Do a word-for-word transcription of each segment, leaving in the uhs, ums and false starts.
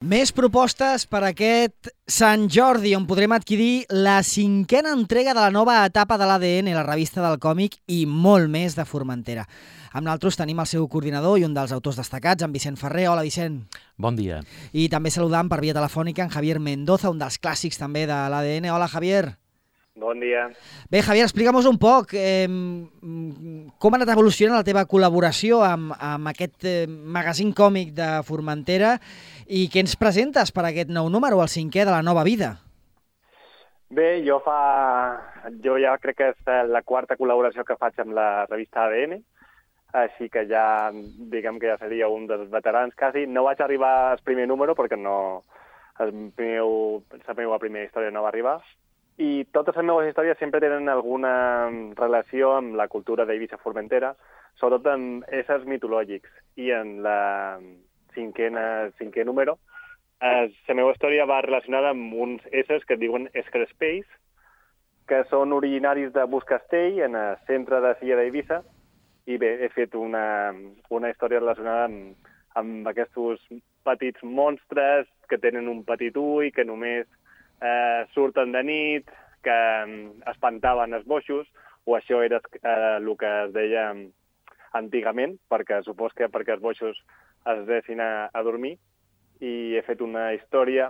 Més propostes per aquest Sant Jordi, on podrem adquirir la cinquena entrega de la nova etapa de l'A D N, la revista del còmic, i molt més de Formentera. Amb nosaltres tenim el seu coordinador i un dels autors destacats, en Vicent Ferrer. Hola, Vicent. Bon dia. I també saludam per via telefònica en Javier Mendoza, un dels clàssics també de l'A D N. Hola, Javier. Bon dia. Bé, Javier, explica'm-nos un poc eh, com ha anat evolucionant la teva col·laboració amb, amb aquest eh, magazín còmic de Formentera i què ens presentes per aquest nou número, el cinquè de la nova vida. Bé, jo fa... Jo ja crec que és la quarta col·laboració que faig amb la revista A D N, així que ja, diguem que ja seria un dels veterans quasi. No vaig arribar al primer número perquè no... El meu, la meva primera història no va arribar. I totes les meves històries sempre tenen alguna relació amb la cultura d'Eivissa Formentera, sobretot amb éssers mitològics. I en la cinquena, cinquè número, eh, la meva història va relacionada amb uns éssers que es diuen escrespells, que són originaris de Buscastell, en el centre de Silla d'Eivissa, i bé, he fet una, una història relacionada amb, amb aquests petits monstres que tenen un petit ull, que només Eh, surten de nit, que eh, espantaven els boixos, o això era eh, el que es deia antigament, perquè supos que perquè els boixos es dessin a, a dormir, i he fet una història,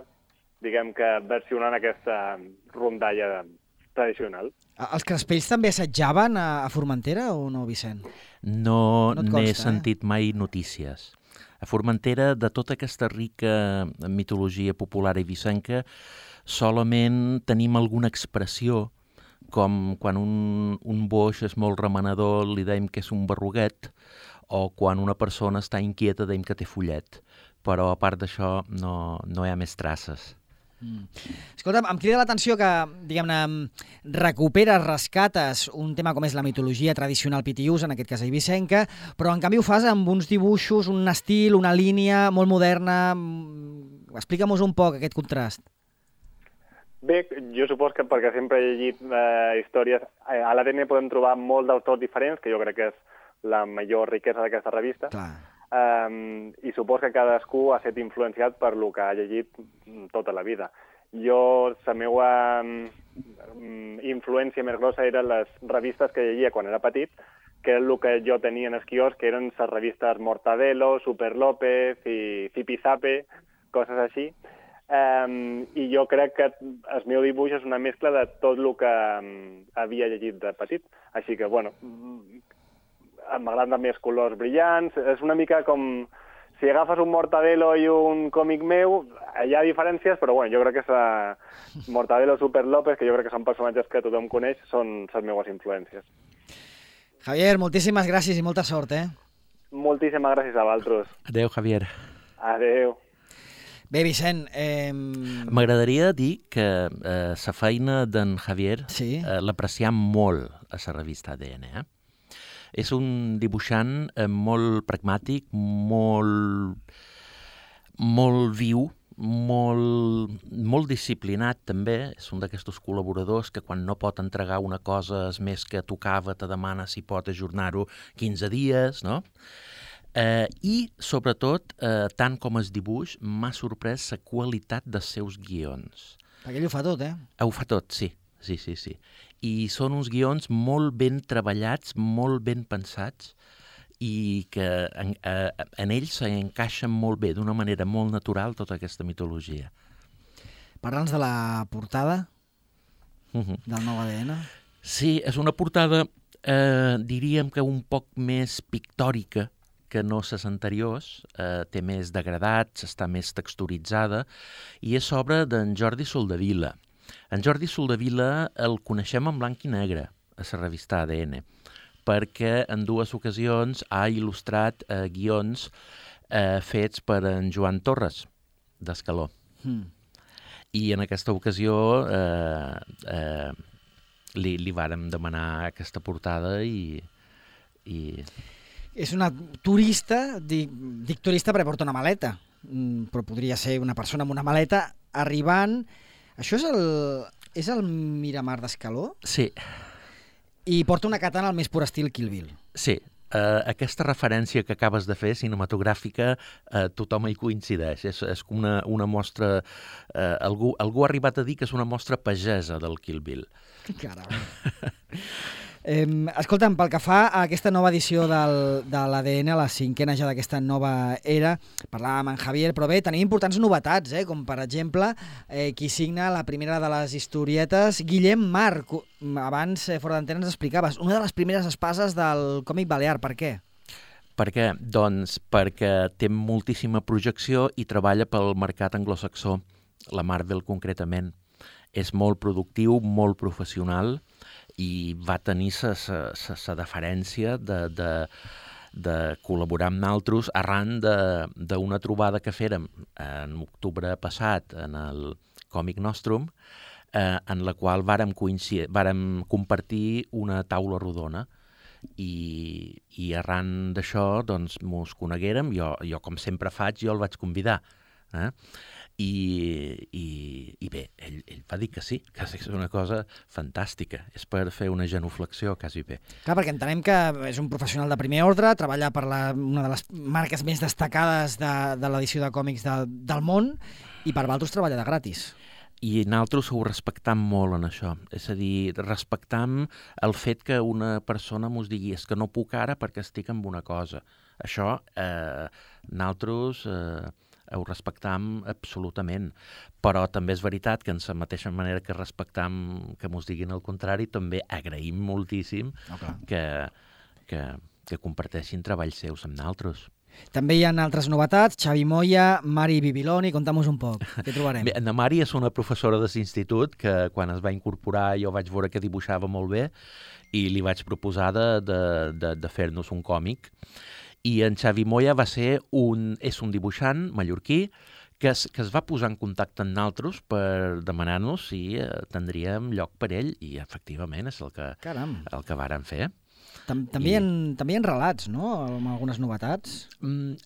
diguem que versionant aquesta rondalla tradicional. Els crespells també assetjaven a, a Formentera o no, Vicent? No, no n'he eh? sentit mai notícies. A Formentera, de tota aquesta rica mitologia popular eivissenca, solament tenim alguna expressió, com quan un, un boix és molt remenador li dèiem que és un berruguet, o quan una persona està inquieta dèiem que té follet. Però a part d'això no, no hi ha més traces. Mm. Escolta'm, em crida l'atenció que, diguem-ne, recuperes, rescates un tema com és la mitologia tradicional pitiús, en aquest cas eivissenca, però en canvi ho fas amb uns dibuixos, un estil, una línia molt moderna. Explica'm-nos un poc aquest contrast. Bé, jo supos que perquè sempre he llegit eh, històries, a l'A D N podem trobar molts d'autors diferents, que jo crec que és la major riquesa d'aquesta revista. Clar. Um, i supos que cadascú ha estat influenciat per lo que ha llegit tota la vida. Jo, la meva um, influència més grossa eren les revistes que llegia quan era petit, que és el que jo tenia en el quiosc, que eren les revistes Mortadelo, Super López i Zipizape, coses així. Um, I jo crec que el meu dibuix és una mescla de tot el que um, havia llegit de petit. Així que, bueno, m'agraden també els colors brillants. És una mica com si agafes un Mortadelo i un còmic meu, hi ha diferències, però bueno, jo crec que és Mortadelo, Super López, que jo crec que són personatges que tothom coneix, són les meves influències. Javier, moltíssimes gràcies i molta sort, eh? Moltíssimes gràcies a vosaltres. Adéu, Javier. Adéu. Bé, Vicent... Eh... M'agradaria dir que eh, la feina d'en Javier sí? eh, l'apreciem molt a la revista A D N. Eh? És un dibuixant eh, molt pragmàtic, molt, molt viu, molt, molt disciplinat també. És un d'aquests col·laboradors que quan no pot entregar una cosa és més que tocava, te demana si pot ajornar-ho quinze dies, no? Eh, I, sobretot, eh, tant com el dibuix, m'ha sorprès la qualitat dels seus guions. Perquè ell ho fa tot, eh? Ho fa tot, sí. Sí, sí, sí. I són uns guions molt ben treballats, molt ben pensats, i que en, eh, en ells s'encaixen molt bé, d'una manera molt natural, tota aquesta mitologia. Parla'ns de la portada Uh-huh. del nou A D N. Sí, és una portada, eh, diríem que un poc més pictòrica que no les anteriors, eh, té més degradats, està més texturitzada, i és obra d'en Jordi Soldevila. En Jordi Soldevila el coneixem en blanc i negre a la revista A D N, perquè en dues ocasions ha il·lustrat eh, guions eh, fets per en Joan Torres, d'Escaló. Mm. I en aquesta ocasió eh, eh, li, li vàrem demanar aquesta portada i... i... És una turista, dic, dic turista perquè porta una maleta, però podria ser una persona amb una maleta arribant... Això és el, és el Miramar d'Escaló? Sí. I porta una katana al més pur estil Kill Bill. Sí, Uh, aquesta referència que acabes de fer, cinematogràfica, uh, tothom hi coincideix. És, és una, una mostra... Uh, algú, algú ha arribat a dir que és una mostra pagesa del Kill Bill. Caram. Eh, escolta'm, pel que fa a aquesta nova edició del, de l'A D N, a la cinquena ja d'aquesta nova era, parlàvem amb en Javier, però bé, tenim importants novetats, eh, com per exemple, eh, qui signa la primera de les historietes, Guillem Marc. Abans, eh, fora d'antena, ens explicaves, una de les primeres espases del còmic balear. Per què? Per què? Doncs perquè té moltíssima projecció i treballa pel mercat anglosaxó, la Marvel concretament. És molt productiu, molt professional, i va tenir la deferència de, de, de col·laborar amb nosaltres arran d'una trobada que fèrem en octubre passat en el Còmic Nostrum, eh, en la qual vàrem, vàrem compartir una taula rodona i, i arran d'això doncs, mos coneguérem. Jo, jo, com sempre faig, jo el vaig convidar. Eh? I, i, i bé, ell, ell va dir que sí, que és una cosa fantàstica. És per fer una genuflexió, quasi bé. Clar, perquè entenem que és un professional de primer ordre, treballa per la, una de les marques més destacades de, de l'edició de còmics de, del món, i per vosaltres treballa de gratis. I nosaltres ho respectam molt en això. És a dir, respectam el fet que una persona mos digui és que no puc ara perquè estic amb una cosa. Això, eh, nosaltres... Eh, ho respectam absolutament, però també és veritat que en la mateixa manera que respectam que mos diguin el contrari, també agraïm moltíssim okay. que, que, que comparteixin treballs seus amb nosaltres. També hi ha altres novetats, Xavi Moya, Mari Bibiloni, conta'm-nos un poc, què trobarem? Bé, la Mari és una professora de l'institut que quan es va incorporar jo vaig veure que dibuixava molt bé i li vaig proposar de, de, de, de fer-nos un còmic. I en Xavi Moya va ser un, és un dibuixant mallorquí que es, que es va posar en contacte amb nosaltres per demanar-nos si eh, tindríem lloc per ell, i efectivament és el que, el que vàrem fer. Tam també, I... en, també hi ha relats, no?, amb algunes novetats. Mm,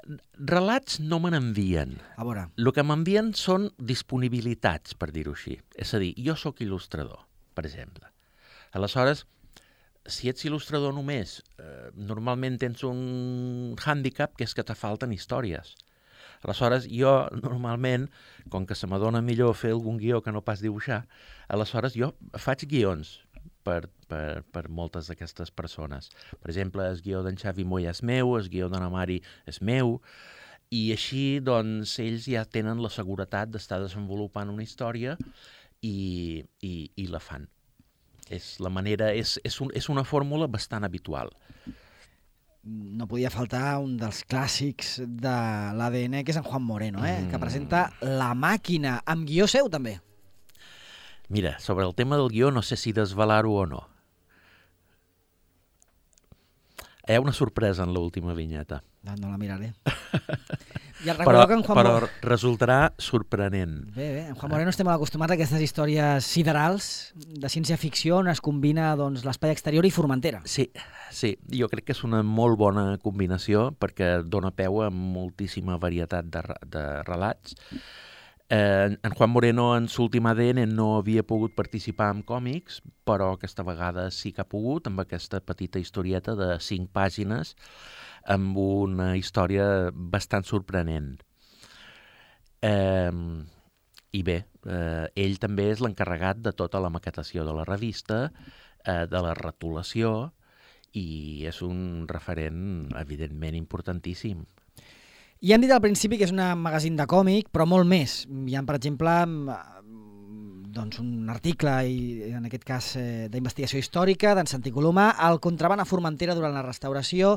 relats no me n'envien. A veure. El que m'envien són disponibilitats, per dir-ho així. És a dir, jo sóc il·lustrador, per exemple. Aleshores, si ets il·lustrador només, eh, normalment tens un hàndicap que és que te falten històries. Aleshores, jo normalment, com que se m'adona millor fer algun guió que no pas dibuixar, aleshores jo faig guions per, per, per moltes d'aquestes persones. Per exemple, el guió d'en Xavi Moya és meu, el guió de la Mari és meu, i així doncs, ells ja tenen la seguretat d'estar desenvolupant una història i, i, i la fan. És la manera, és, és, un, és una fórmula bastant habitual. No podia faltar un dels clàssics de l'A D N, que és en Juan Moreno, eh? Mm. que presenta La Màquina, amb guió seu també. Mira, sobre el tema del guió no sé si desvelar-ho o no. Hi ha una sorpresa en l'última vinyeta. No, no la miraré. I el però, que en Juan però Mo... resultarà sorprenent. Bé, bé. En Juan Moreno estem molt acostumats a aquestes històries siderals de ciència-ficció on es combina doncs, l'espai exterior i Formentera. Sí, sí, jo crec que és una molt bona combinació perquè dona peu a moltíssima varietat de, de relats. Eh, en Juan Moreno en l'últim A D N no havia pogut participar en còmics, però aquesta vegada sí que ha pogut, amb aquesta petita historieta de cinc pàgines, amb una història bastant sorprenent. Eh, I bé, eh, ell també és l'encarregat de tota la maquetació de la revista, eh, de la retolació, i és un referent, evidentment, importantíssim. I hem dit al principi que és un magazín de còmic, però molt més. Hi ha, per exemple, doncs un article, i en aquest cas eh, d'investigació històrica, d'en Santi Colomà, el contraban a Formentera durant la restauració,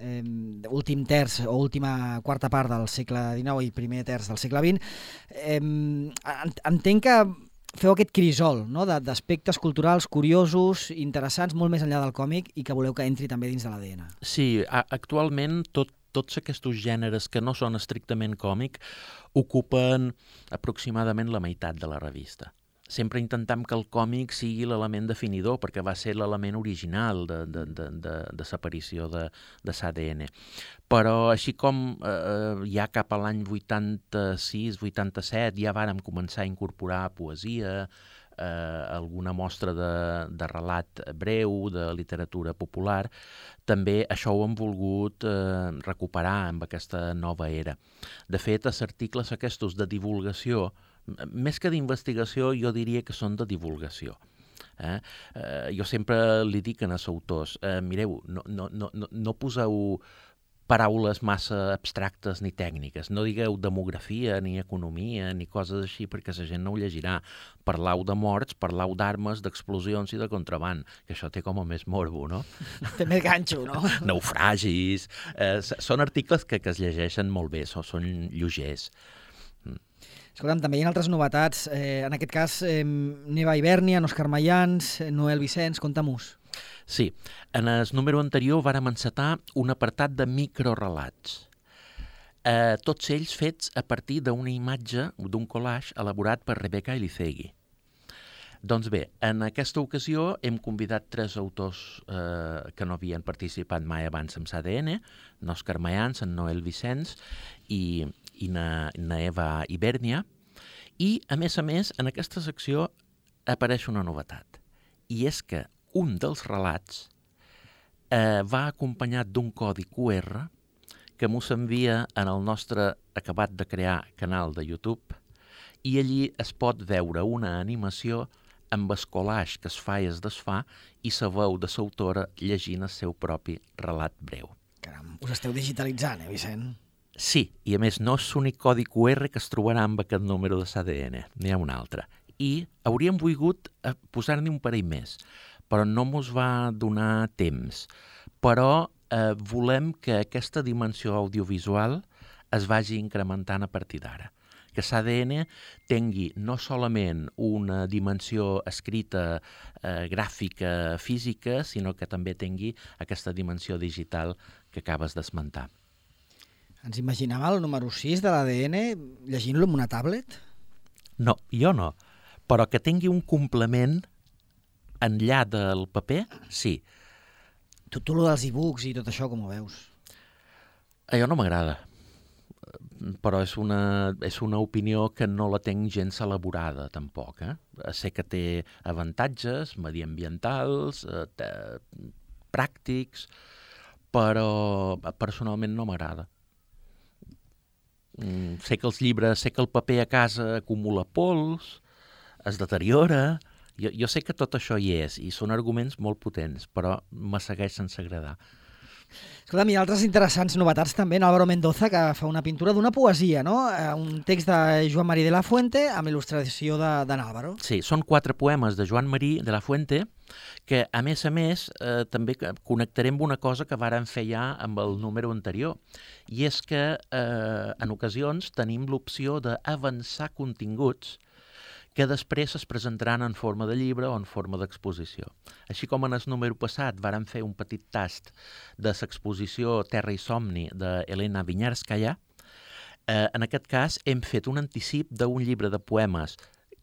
eh, últim terç o última quarta part del segle dinou i primer terç del segle vint. Eh, entenc que feu aquest crisol, no?, d'aspectes culturals curiosos, interessants, molt més enllà del còmic, i que voleu que entri també dins de l'A D N. Sí, actualment tot tots aquests gèneres que no són estrictament còmic ocupen aproximadament la meitat de la revista. Sempre intentam que el còmic sigui l'element definidor, perquè va ser l'element original de, de, de, de, de l'aparició de, de l'A D N. Però així com eh, ja cap a l'any vuitanta-sis vuitanta-set ja vàrem començar a incorporar poesia, eh, alguna mostra de, de relat breu, de literatura popular, també això ho hem volgut eh, recuperar amb aquesta nova era. De fet, els articles aquests de divulgació, més que d'investigació, jo diria que són de divulgació. Eh? Eh, jo sempre li dic als autors, eh, mireu, no, no, no, no poseu paraules massa abstractes ni tècniques. No digueu demografia, ni economia, ni coses així, perquè la gent no ho llegirà. Parlau de morts, parlau d'armes, d'explosions i de contraband, que això té com a més morbo, no? Té més ganxo, no? Naufragis... Eh, són articles que, que es llegeixen molt bé, són, són lleugers. Escolta'm, també hi ha altres novetats. Eh, en aquest cas, eh, Neva Ibèrnia, Òscar Mayans, Noel Vicenç, conta-mos. Sí, en el número anterior vàrem encetar un apartat de microrelats. Eh, tots ells fets a partir d'una imatge, d'un collage elaborat per Rebecca Elizegui. Doncs bé, en aquesta ocasió hem convidat tres autors eh, que no havien participat mai abans amb l'A D N, n'Òscar Mayans, en Noel Vicenç i, i na, na Eva Ibèrnia, i, a més a més, en aquesta secció apareix una novetat, i és que un dels relats eh, va acompanyat d'un codi Q R que mos envia en el nostre acabat de crear canal de YouTube, i allí es pot veure una animació amb el collage que es fa i es desfà i la veu de l'autora llegint el seu propi relat breu. Caram, us esteu digitalitzant, eh, Vicent? Sí, i a més no és l'únic codi Q R que es trobarà amb aquest número de l'A D N, n'hi ha un altre. I hauríem volgut posar-ne un parell més, però no mos va donar temps. Però eh, volem que aquesta dimensió audiovisual es vagi incrementant a partir d'ara. Que l'A D N tingui no solament una dimensió escrita, eh, gràfica, física, sinó que també tingui aquesta dimensió digital que acabes d'esmentar. Ens imaginava el número sis de l'A D N llegint-lo amb una tablet? No, jo no. Però que tingui un complement enllà del paper, sí. Tu, tu lo dels e-books i tot això, com ho veus? A jo no m'agrada, però és una, és una opinió que no la tenc gens elaborada, tampoc. Eh? Sé que té avantatges mediambientals, eh, pràctics, però personalment no m'agrada. Mm, sé que els llibres, sé que el paper a casa acumula pols, es deteriora. Jo, jo sé que tot això hi és, i són arguments molt potents, però me segueix sense agradar. Escolta'm, hi ha altres interessants novetats també, en Álvaro Mendoza, que fa una pintura d'una poesia, no? Un text de Joan Marí de la Fuente amb il·lustració d'en Álvaro. Sí, són quatre poemes de Joan Marí de la Fuente que, a més a més, eh, també connectarem amb una cosa que vàrem fer ja amb el número anterior, i és que eh, en ocasions tenim l'opció d'avançar continguts que després es presentaran en forma de llibre o en forma d'exposició. Així com en el número passat vàrem fer un petit tast de l'exposició Terra i somni d'Helena Vinyarskaya, eh, en aquest cas hem fet un anticip d'un llibre de poemes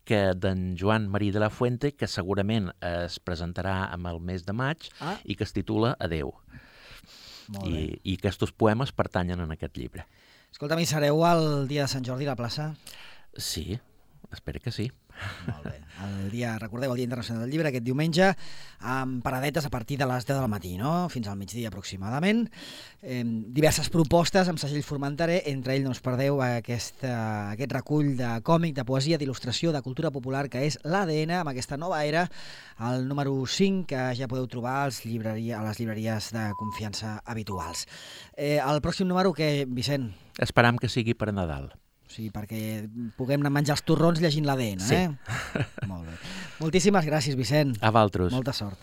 que d'en Joan Marí de la Fuente, que segurament es presentarà en el mes de maig ah. i que es titula Adeu. I, I aquests poemes pertanyen en aquest llibre. Escolta'm, hi sereu el dia de Sant Jordi a la plaça? Sí, espero que sí. Molt bé. El dia, recordeu, el Dia Internacional del Llibre, aquest diumenge, amb paradetes a partir de les deu del matí, no? Fins al migdia aproximadament. Eh, diverses propostes amb segell Formenterer, entre ells no us perdeu aquest, uh, aquest recull de còmic, de poesia, d'il·lustració, de cultura popular, que és l'A D N, amb aquesta nova era, el número cinc, que ja podeu trobar als llibreria, a les llibreries de confiança habituals. Eh, el pròxim número, què, Vicent? Esperam que sigui per Nadal. Sí, perquè puguem anar a menjar els torrons llegint l'A D N, sí. eh? Molt bé. Moltíssimes gràcies, Vicent. A vosaltres. Molta sort.